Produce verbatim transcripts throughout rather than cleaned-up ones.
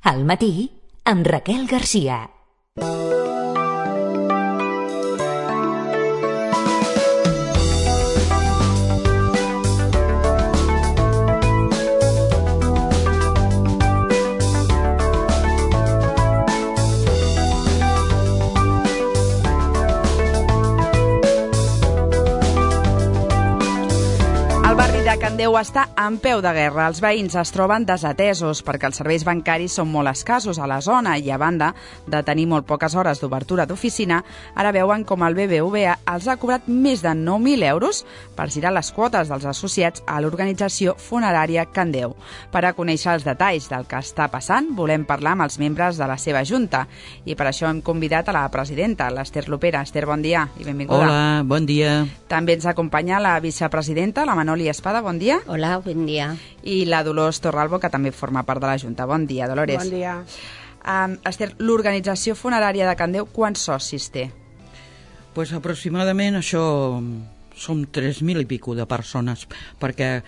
Al matí, amb Raquel Garcia. Can Déu està en peu de guerra. Els veïns es troben desatesos perquè els serveis bancaris són molt escassos a la zona i, a banda de tenir molt poques hores d'obertura d'oficina, ara veuen com el B B V A els ha cobrat més de nou mil euros per girar les quotes dels associats a l'organització funerària Can Déu. Per a conèixer els detalls del que està passant, volem parlar amb els membres de la seva junta i per això hem convidat a la presidenta, l'Ester Lopera. Ester, bon dia i benvinguda. Hola, bon dia. També ens acompanya la vicepresidenta, la Manoli Espada. Bon dia. Hola, bon dia. I la Dolors Torralbo, que també forma part de la Junta. Bon dia, Dolores. Bon dia. Um, Ester, l'organització funerària de Can Déu, quants socis té? Pues aproximadament això som tres mil i pico de persones, perquè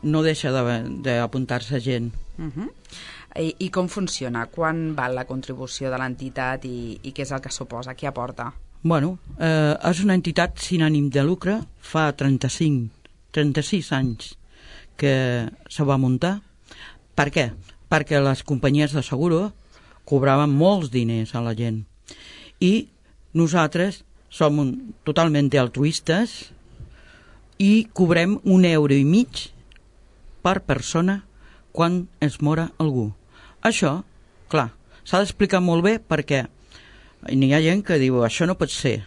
no deixa d'apuntar-se gent. Uh -huh. I, I com funciona? Quan val la contribució de l'entitat i, i què és el que suposa? Què aporta? Bueno, eh, és una entitat sin ànim de lucre, fa trenta-cinc trenta-sis anys que se va muntar. Per què? Perquè les companyies de seguro cobraven molts diners a la gent i nosaltres som un, totalment altruistes i cobrem un euro i mig per persona quan es mora algú. Això, clar, s'ha d'explicar molt bé perquè n'hi ha gent que diu això no pot ser.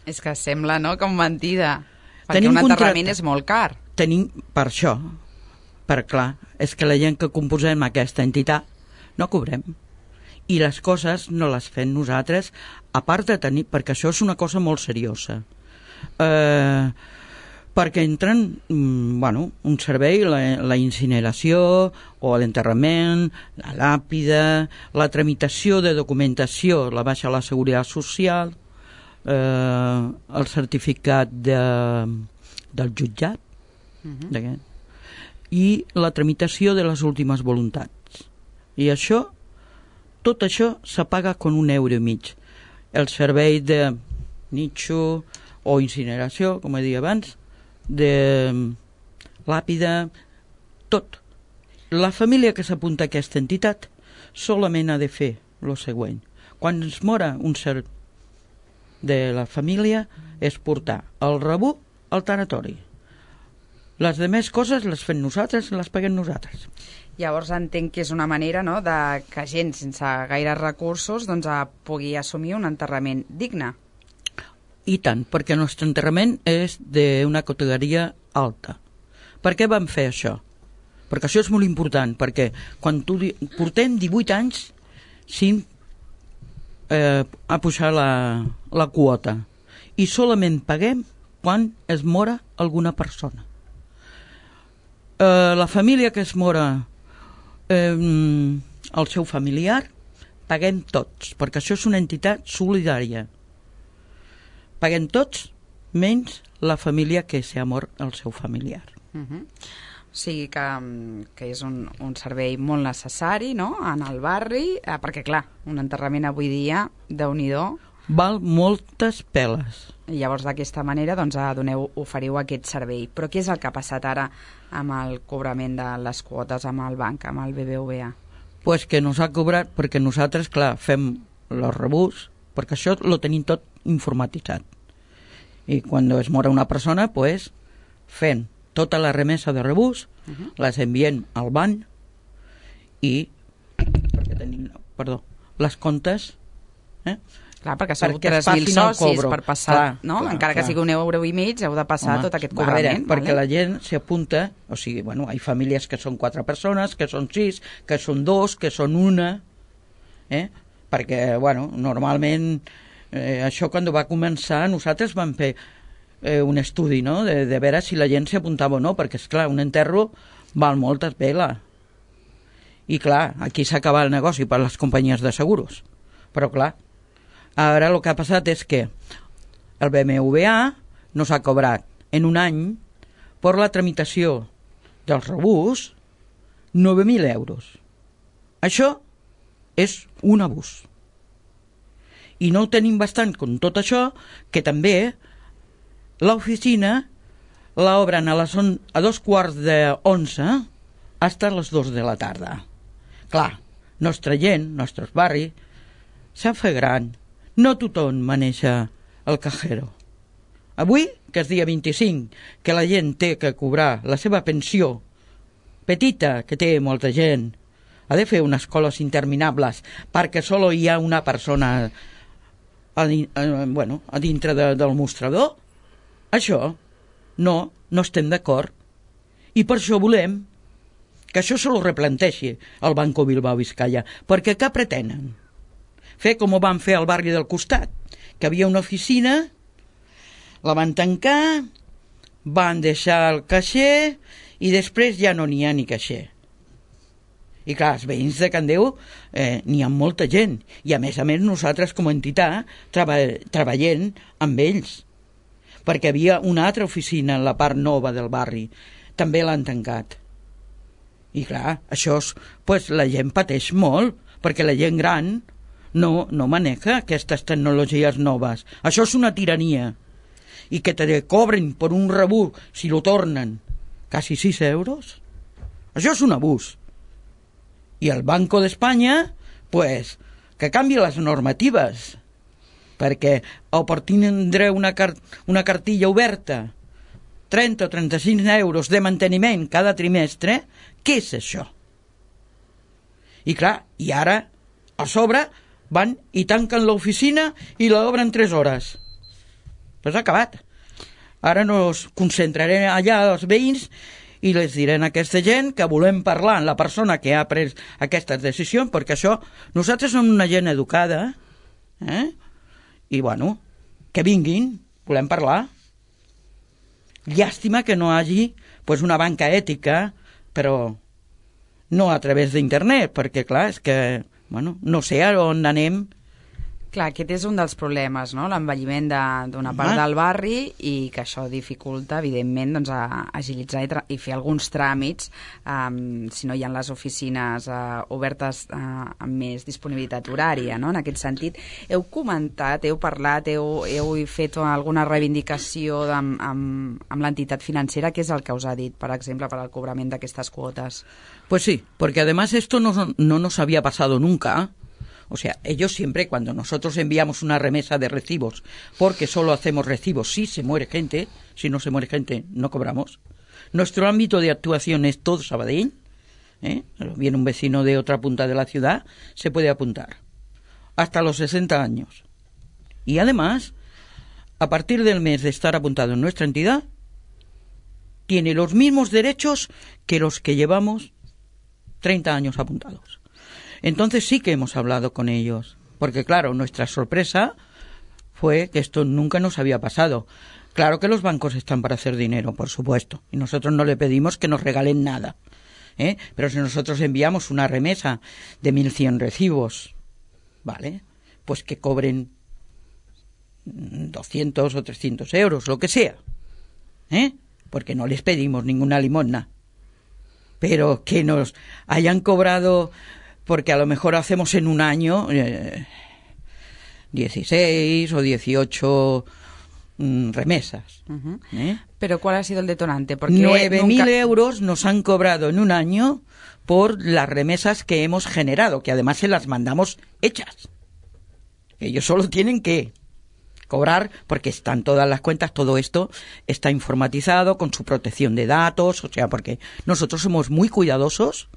És que sembla, no?, com mentida. Perquè Tenim un enterrament contracte. és molt car. Tenim, per això, per clar, és que la gent que composem aquesta entitat no cobrem. I les coses no les fem nosaltres, a part de tenir, perquè això és una cosa molt seriosa. Eh, perquè entren, mm, bueno, un servei, la, la incineració o l'enterrament, la làpida, la tramitació de documentació, la baixa a la Seguretat Social, eh, el certificat de, del jutjat, uh-huh. i la tramitació de les últimes voluntats. I això, tot això se paga con un euro i mig. El servei de nitxo o incineració, com he dit abans, de làpida, tot. La família que s'apunta a aquesta entitat solament ha de fer el següent. Quan es mora un ser de la família és portar el rebut al tanatori. Les demés coses les fem nosaltres, les paguem nosaltres. Llavors entenc que és una manera, no?, de que gent sense gaires recursos doncs, pugui assumir un enterrament digne. I tant, perquè el nostre enterrament és d'una categoria alta. Per què vam fer això? Perquè això és molt important, perquè quan tu di... portem divuit anys sin eh, a pujar la, la quota i solament paguem quan es mora alguna persona. Eh, la família que es mora eh, el seu familiar paguem tots, perquè això és una entitat solidària. Paguem tots menys la família que s'ha mort el seu familiar. Uh-huh. O sigui que, que és un, un servei molt necessari, no?, en el barri, eh, perquè clar, un enterrament avui dia, Déu-n'hi-do, val moltes peles. I llavors d'aquesta manera doncs, doneu, oferiu aquest servei. Però què és el que ha passat ara amb el cobrament de les quotes amb el banc, amb el B B V A? Pues que nos ha cobrat, perquè nosaltres, clar, fem els rebuts, perquè això lo tenim tot informatitzat. I quan es mora una persona, pues, fem tota la remesa de rebuts, uh-huh. les enviem al banc i perquè tenim, perdó, les comptes, eh? Clar, perquè sou tres mil socis per passar, clar, no? Clar, encara clar. que sigui un euro i mig, heu de passar Home, tot aquest cobrament. Veure, vale? Perquè la gent s'apunta, o sigui, bueno, hi ha famílies que són quatre persones, que són sis, que són dos, que són una, eh? Perquè, bueno, normalment eh, això quan va començar nosaltres vam fer eh, un estudi, no?, de, de veure si la gent s'apuntava o no, perquè, esclar, un enterro val moltes veles. I, clar, aquí s'acaba el negoci per les companyies de seguros. Però, clar, ara el que ha passat és que el B M W A nos ha cobrat en un any per la tramitació dels rebuts nueve mil euros. Això és un abús. I no ho tenim bastant com tot això, que també l'oficina l'obren a, les on, a dos quarts de onze fins a les dos de la tarda. Clar, nostra gent, nostres barris, s'han fet gran. No tothom maneja el cajero. Avui, que és dia vint-i-cinc, que la gent té que cobrar la seva pensió petita, que té molta gent, ha de fer unes coles interminables perquè solo hi ha una persona a, a, bueno, a dintre de, del mostrador. Això no, no estem d'acord. I per això volem que això se lo replanteixi el Banco Bilbao Vizcaya, perquè què pretenen? Fer com ho van fer al barri del costat, que havia una oficina, la van tancar, van deixar el caixer i després ja no n'hi ha ni caixer. I clar, els veïns de Candeu eh, n'hi ha molta gent, i a més a més nosaltres com a entitat treba, treballem amb ells, perquè havia una altra oficina en la part nova del barri, també l'han tancat. I clar, això és, pues, la gent pateix molt, perquè la gent gran no, no maneja aquestes tecnologies noves. Això és una tirania. I que te cobren per un rebut, si lo tornen, quasi sis euros. Això és un abús. I el Banco d'Espanya, pues, que canvi les normatives, perquè o per tindre una, car una cartilla oberta, trenta o trenta-cinc euros de manteniment cada trimestre, què és això? I clar, i ara, a sobre, van i tanquen l'oficina i l'obren tres hores. Pues ha acabat. Ara nos concentrarem allà els veïns i les direm a aquesta gent que volem parlar amb la persona que ha pres aquestes decisions, perquè això, nosaltres som una gent educada, eh? I bueno, que vinguin, volem parlar. Llàstima que no hi hagi pues, una banca ètica, però no a través d'internet, perquè clar, és que bueno, no sé on anem. Clar, aquest és un dels problemes, no? L'envelliment d'una part del barri i que això dificulta, evidentment, doncs, a agilitzar i, i fer alguns tràmits um, si no hi ha les oficines uh, obertes uh, amb més disponibilitat horària, no? En aquest sentit, heu comentat, heu parlat, heu, heu fet alguna reivindicació amb, amb, amb l'entitat financera, què és el que us ha dit, per exemple, per al cobrament d'aquestes quotes? Pues sí, porque además esto no, no nos había pasado nunca. O sea, ellos siempre, cuando nosotros enviamos una remesa de recibos, porque solo hacemos recibos si se muere gente, si no se muere gente no cobramos. Nuestro ámbito de actuación es todo Sabadell, ¿eh? Viene un vecino de otra punta de la ciudad, se puede apuntar, hasta los sesenta años. Y además, a partir del mes de estar apuntado en nuestra entidad, tiene los mismos derechos que los que llevamos treinta años apuntados. Entonces sí que hemos hablado con ellos, porque claro, nuestra sorpresa fue que esto nunca nos había pasado. Claro que los bancos están para hacer dinero, por supuesto, y nosotros no le pedimos que nos regalen nada, ¿eh? Pero si nosotros enviamos una remesa de mil cien recibos, ¿vale? Pues que cobren doscientos o trescientos euros, lo que sea, ¿eh? Porque no les pedimos ninguna limosna. Pero que nos hayan cobrado, porque a lo mejor hacemos en un año eh, dieciséis o dieciocho mm, remesas. Uh-huh. ¿eh? ¿Pero cuál ha sido el detonante? Porque nueve mil nunca... euros nos han cobrado en un año por las remesas que hemos generado, que además se las mandamos hechas. Ellos solo tienen que cobrar, porque están todas las cuentas, todo esto está informatizado con su protección de datos, o sea, porque nosotros somos muy cuidadosos,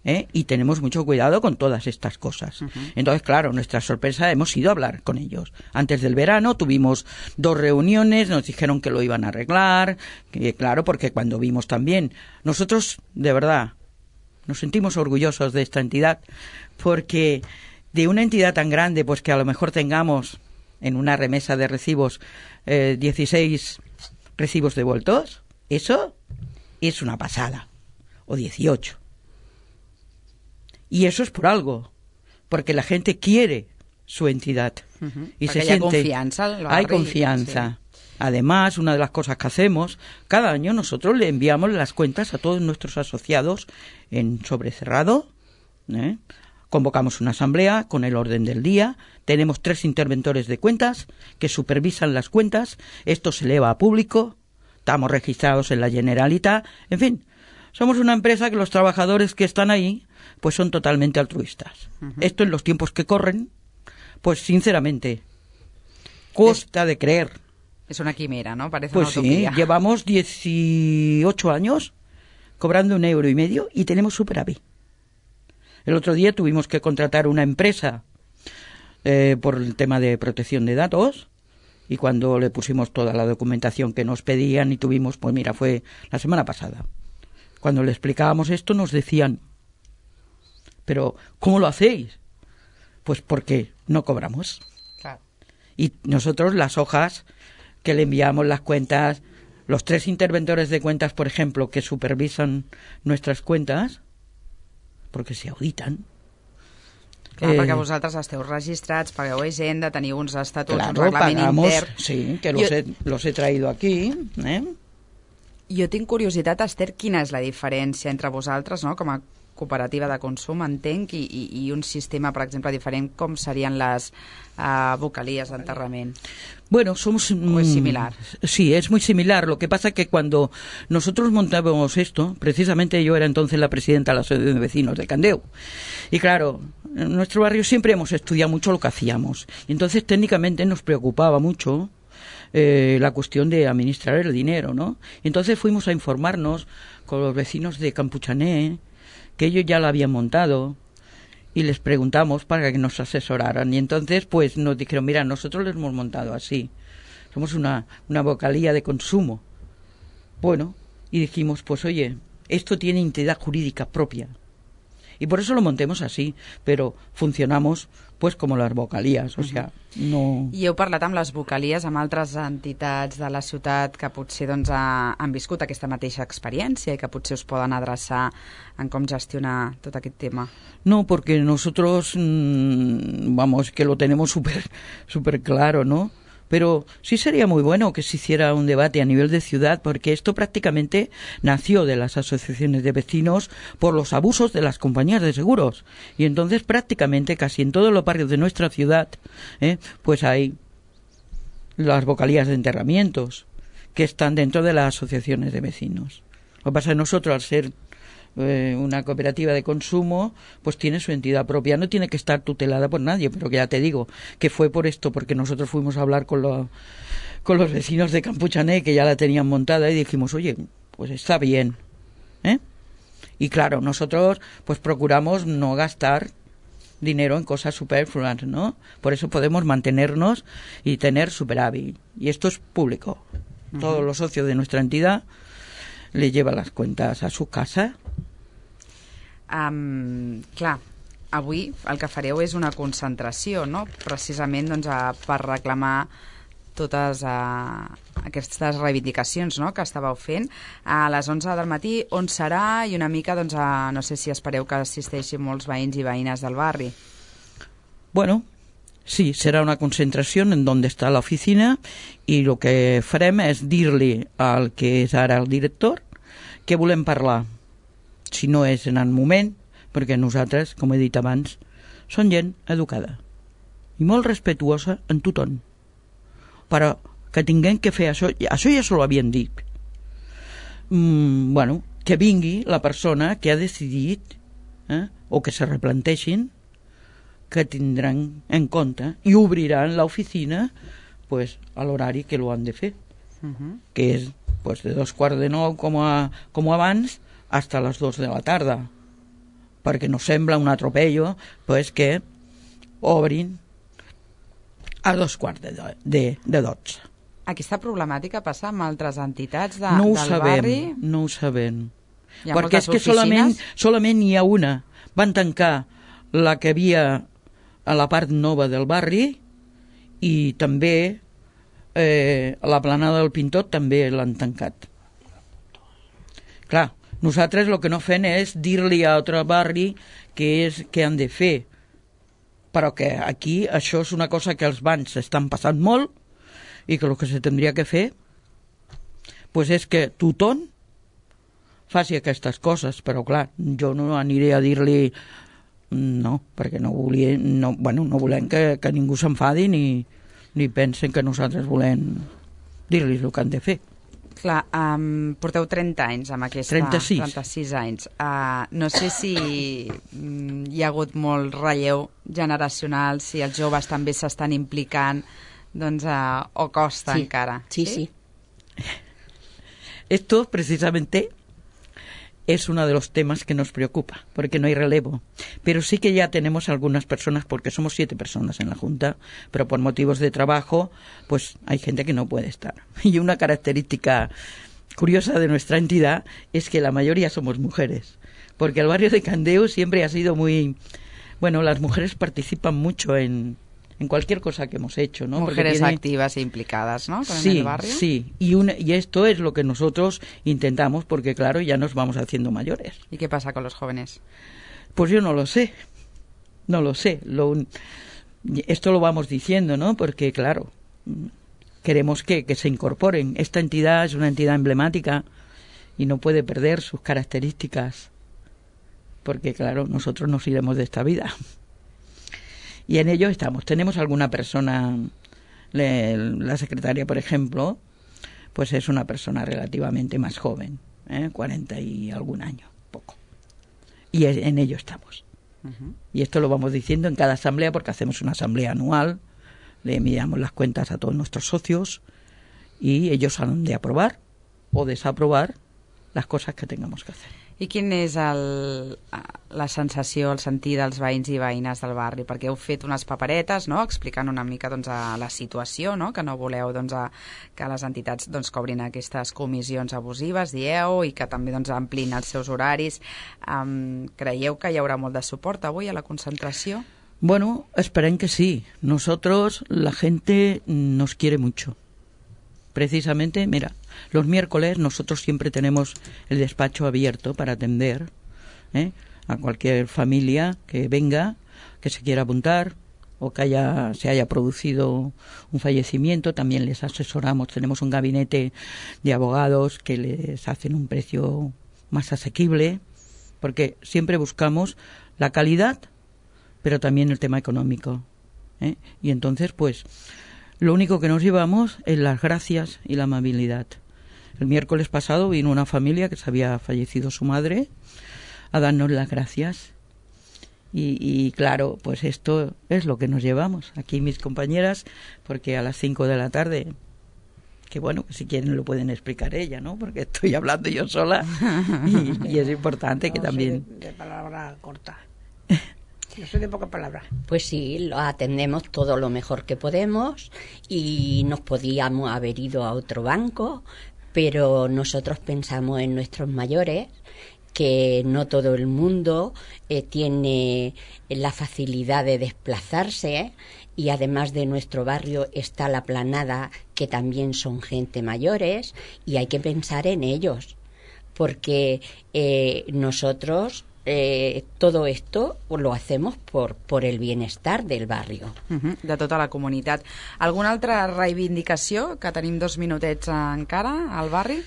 ¿eh? Y tenemos mucho cuidado con todas estas cosas. Uh-huh. Entonces, claro, nuestra sorpresa, hemos ido a hablar con ellos. Antes del verano tuvimos dos reuniones, nos dijeron que lo iban a arreglar, que, claro, porque cuando vimos también, nosotros, de verdad, nos sentimos orgullosos de esta entidad, porque de una entidad tan grande, pues que a lo mejor tengamos en una remesa de recibos eh, dieciséis recibos devueltos, eso es una pasada, o dieciocho. Y eso es por algo, porque la gente quiere su entidad. Uh-huh. Y porque se siente, confianza, hay confianza. Sí. Además, una de las cosas que hacemos, cada año nosotros le enviamos las cuentas a todos nuestros asociados en sobrecerrado, ¿eh? convocamos una asamblea con el orden del día, tenemos tres interventores de cuentas que supervisan las cuentas, esto se eleva a público, estamos registrados en la Generalitat, en fin, somos una empresa que los trabajadores que están ahí pues son totalmente altruistas. Uh-huh. Esto en los tiempos que corren, pues sinceramente, cuesta de creer. Es una quimera, ¿no? Parece pues una utopía. Sí, llevamos dieciocho años cobrando un euro y medio y tenemos superávit. El otro día tuvimos que contratar una empresa eh, por el tema de protección de datos y cuando le pusimos toda la documentación que nos pedían y tuvimos, pues mira, fue la semana pasada. Cuando le explicábamos esto nos decían, pero ¿cómo lo hacéis? Pues porque no cobramos. Claro. Y nosotros las hojas que le enviamos, las cuentas, los tres interventores de cuentas, por ejemplo, que supervisan nuestras cuentas, porque se auditan. Clar, eh, perquè vosaltres esteu registrats, pagueu Hisenda, teniu uns estatuts, claro, un reglament pagamos, intern... Sí, que los, jo, he, los he traído aquí. Eh? Jo tinc curiositat, Esther, quina és la diferència entre vosaltres, no?, com a cooperativa de consum, entenc, i, i, i un sistema, per exemple, diferent, com serien les uh, vocalies d'enterrament. Bueno, somos... ¿O es similar? Sí, es muy similar. Lo que pasa es que cuando nosotros montábamos esto, precisamente yo era entonces la presidenta de la Asociación de Vecinos de Candeu. Y claro, en nuestro barrio siempre hemos estudiado mucho lo que hacíamos. Y entonces técnicamente nos preocupaba mucho eh, la cuestión de administrar el dinero, ¿no? Y entonces fuimos a informarnos con los vecinos de Campuchané, que ellos ya lo habían montado, y les preguntamos para que nos asesoraran. Y entonces pues nos dijeron, mira, nosotros les hemos montado así. Somos una, una vocalía de consumo. Bueno, y dijimos, pues oye, esto tiene entidad jurídica propia. Y por eso lo montemos así, pero funcionamos pues como las vocalías, o sea, no... I heu parlat amb les vocalies, amb altres entitats de la ciutat que potser doncs, ha, han viscut aquesta mateixa experiència i que potser us poden adreçar en com gestionar tot aquest tema? No, porque nosotros, mmm, vamos, que lo tenemos súper súper claro, ¿no? Pero sí sería muy bueno que se hiciera un debate a nivel de ciudad, porque esto prácticamente nació de las asociaciones de vecinos por los abusos de las compañías de seguros. Y entonces prácticamente casi en todos los barrios de nuestra ciudad, ¿eh? pues hay las vocalías de enterramientos que están dentro de las asociaciones de vecinos. Lo que pasa es que nosotros, al ser eh, una cooperativa de consumo, pues tiene su entidad propia, no tiene que estar tutelada por nadie, pero que ya te digo que fue por esto, porque nosotros fuimos a hablar con, lo, con los vecinos de Campuchané, que ya la tenían montada, y dijimos, oye, pues está bien, ¿eh? Y claro, nosotros pues procuramos no gastar dinero en cosas superfluas, ¿no? Por eso podemos mantenernos y tener superávit, y esto es público. Uh-huh. Todos los socios de nuestra entidad le lleva las cuentas a su casa. Um, clar, avui el que fareu és una concentració, no?, precisament doncs, a, per reclamar totes uh, aquestes reivindicacions, no?, que estàveu fent a les onze del matí. On serà? I una mica, doncs, a, no sé si espereu que assisteixin molts veïns i veïnes del barri. Bueno, sí, será una concentración en donde está la oficina, y lo que farem és dir-li al que és ara el director que volem parlar, si no és en el moment, perquè nosaltres, com he dit abans, som gent educada i molt respetuosa en tothom, però que tinguem que fer això, això ja se lo havien dit. Mm, bueno, que vingui la persona que ha decidit, eh, o que se replanteixin, que tindran en compte i obriran l'oficina pues, a l'horari que lo han de fer, uh-huh. que és pues, de dos quarts de nou com, a, com abans hasta les dos de la tarda, perquè no sembla un atropello pues, que obrin a dos quarts de, de, de dotze. Aquesta problemàtica passa amb altres entitats de, no del sabem, barri? No ho sabem. Hi ha perquè és que solament, solament hi ha una. Van tancar la que havia a la part nova del barri, i també eh, a la planada del Pintor també l'han tancat. Clar, nosaltres el que no fem és dir-li a altre barri què és que han de fer, però que aquí això és una cosa que els bancs estan passant molt, i que el que se tindria que fer pues és que tothom faci aquestes coses, però clar, jo no aniré a dir-li No, perquè no volien, no, bueno, no volem que, que ningú s'enfadi ni, ni pensen que nosaltres volem dir-los el que han de fer. Clar, um, porteu trenta anys amb aquesta... trenta-sis. trenta-sis anys. Uh, no sé si um, hi ha hagut molt relleu generacional, si els joves també s'estan implicant, doncs, uh, o costa sí. encara. Sí, sí. sí. Esto precisamente es uno de los temas que nos preocupa, porque no hay relevo. Pero sí que ya tenemos algunas personas, porque somos siete personas en la Junta, pero por motivos de trabajo, pues hay gente que no puede estar. Y una característica curiosa de nuestra entidad es que la mayoría somos mujeres, porque el barrio de Candeu siempre ha sido muy... Bueno, las mujeres participan mucho en... en cualquier cosa que hemos hecho, ¿no? Mujeres tiene... activas e implicadas, ¿no? Sí, en el barrio. Sí, y, una, y esto es lo que nosotros intentamos, porque claro, ya nos vamos haciendo mayores. ¿Y qué pasa con los jóvenes? Pues yo no lo sé, no lo sé. Lo, esto lo vamos diciendo, ¿no? Porque claro, queremos que, que se incorporen. Esta entidad es una entidad emblemática y no puede perder sus características, porque claro, nosotros nos iremos de esta vida. Y en ello estamos. Tenemos alguna persona, le, la secretaria, por ejemplo, pues es una persona relativamente más joven, ¿eh? cuarenta y algún año, poco. Y en ello estamos. Uh-huh. Y esto lo vamos diciendo en cada asamblea, porque hacemos una asamblea anual, le enviamos las cuentas a todos nuestros socios y ellos han de aprobar o desaprobar las cosas que tengamos que hacer. I quin és el, la sensació, el sentir dels veïns i veïnes del barri? Perquè heu fet unes paperetes, no?, explicant una mica doncs, a la situació, no?, que no voleu doncs, a, que les entitats doncs, cobrin aquestes comissions abusives, dieu, i que també doncs, amplin els seus horaris. Um, creieu que hi haurà molt de suport avui a la concentració? Bueno, esperem que sí. Nosotros, la gente nos quiere mucho. Precisamente, mira, los miércoles nosotros siempre tenemos el despacho abierto para atender ¿eh? a cualquier familia que venga, que se quiera apuntar o que haya, se haya producido un fallecimiento. También les asesoramos, tenemos un gabinete de abogados que les hacen un precio más asequible, porque siempre buscamos la calidad, pero también el tema económico. ¿eh? Y entonces, pues... lo único que nos llevamos es las gracias y la amabilidad. El miércoles pasado vino una familia que se había fallecido su madre a darnos las gracias. Y, y claro, pues esto es lo que nos llevamos. Aquí mis compañeras, porque a las cinco de la tarde, que bueno, que si quieren lo pueden explicar ella, ¿no? Porque estoy hablando yo sola y, y es importante que no, también... De, de palabra corta. Yo soy de poca palabra. Pues sí, lo atendemos todo lo mejor que podemos y nos podíamos haber ido a otro banco, pero nosotros pensamos en nuestros mayores, que no todo el mundo eh, tiene la facilidad de desplazarse, y además de nuestro barrio está la Planada, que también son gente mayores, y hay que pensar en ellos, porque eh, nosotros... Eh, todo esto lo hacemos por, por el bienestar del barrio. Uh-huh, de tota la comunitat. Alguna altra reivindicació, que tenim dos minutets encara al barri?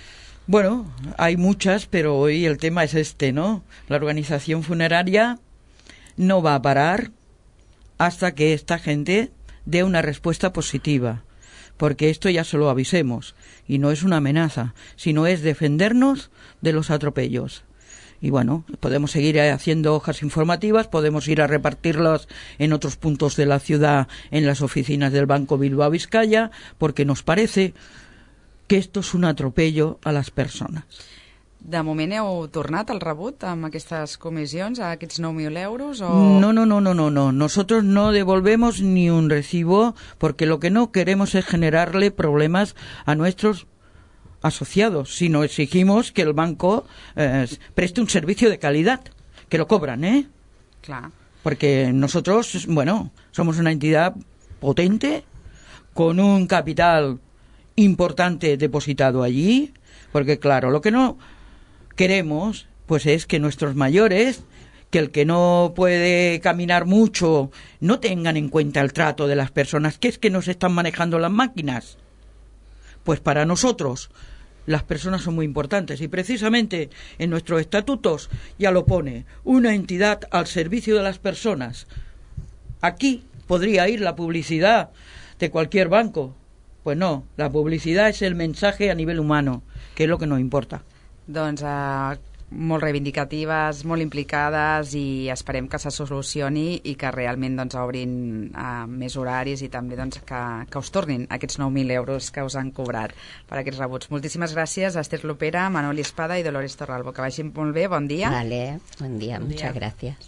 Bueno, hay muchas, pero hoy el tema es este, ¿no? La organización funeraria no va a parar hasta que esta gente dé una respuesta positiva, porque esto ya se lo avisemos, y no es una amenaza, sino es defendernos de los atropellos. Y bueno, podemos seguir haciendo hojas informativas, podemos ir a repartirlas en otros puntos de la ciudad, en las oficinas del Banco Bilbao Vizcaya, porque nos parece que esto es un atropello a las personas. De moment heu tornat al rebut amb aquestes comissions, a aquests nou mil euros? O... No, no, no, no, no, no. Nosotros no devolvemos ni un recibo, porque lo que no queremos es generarle problemas a nuestros asociados, sino exigimos que el banco eh, preste un servicio de calidad, que lo cobran, ¿eh? Claro. Porque nosotros, bueno, somos una entidad potente, con un capital importante depositado allí, porque claro, lo que no queremos, pues es que nuestros mayores, que el que no puede caminar mucho, no tengan en cuenta el trato de las personas, que es que nos están manejando las máquinas. Pues para nosotros, las personas son muy importantes y precisamente en nuestros estatutos ya lo pone, una entidad al servicio de las personas. Aquí podría ir la publicidad de cualquier banco. Pues no, la publicidad es el mensaje a nivel humano, que es lo que nos importa. Doncs eh, molt reivindicatives, molt implicades, i esperem que se solucioni i que realment doncs, obrin eh, més horaris i també doncs, que, que us tornin aquests nou mil euros que us han cobrat per aquests rebuts. Moltíssimes gràcies a Esther Lopera, Manoli Espada i Dolores Torralbo. Que vagin molt bé, bon dia. Vale, buen día, Buen día. muchas gracias.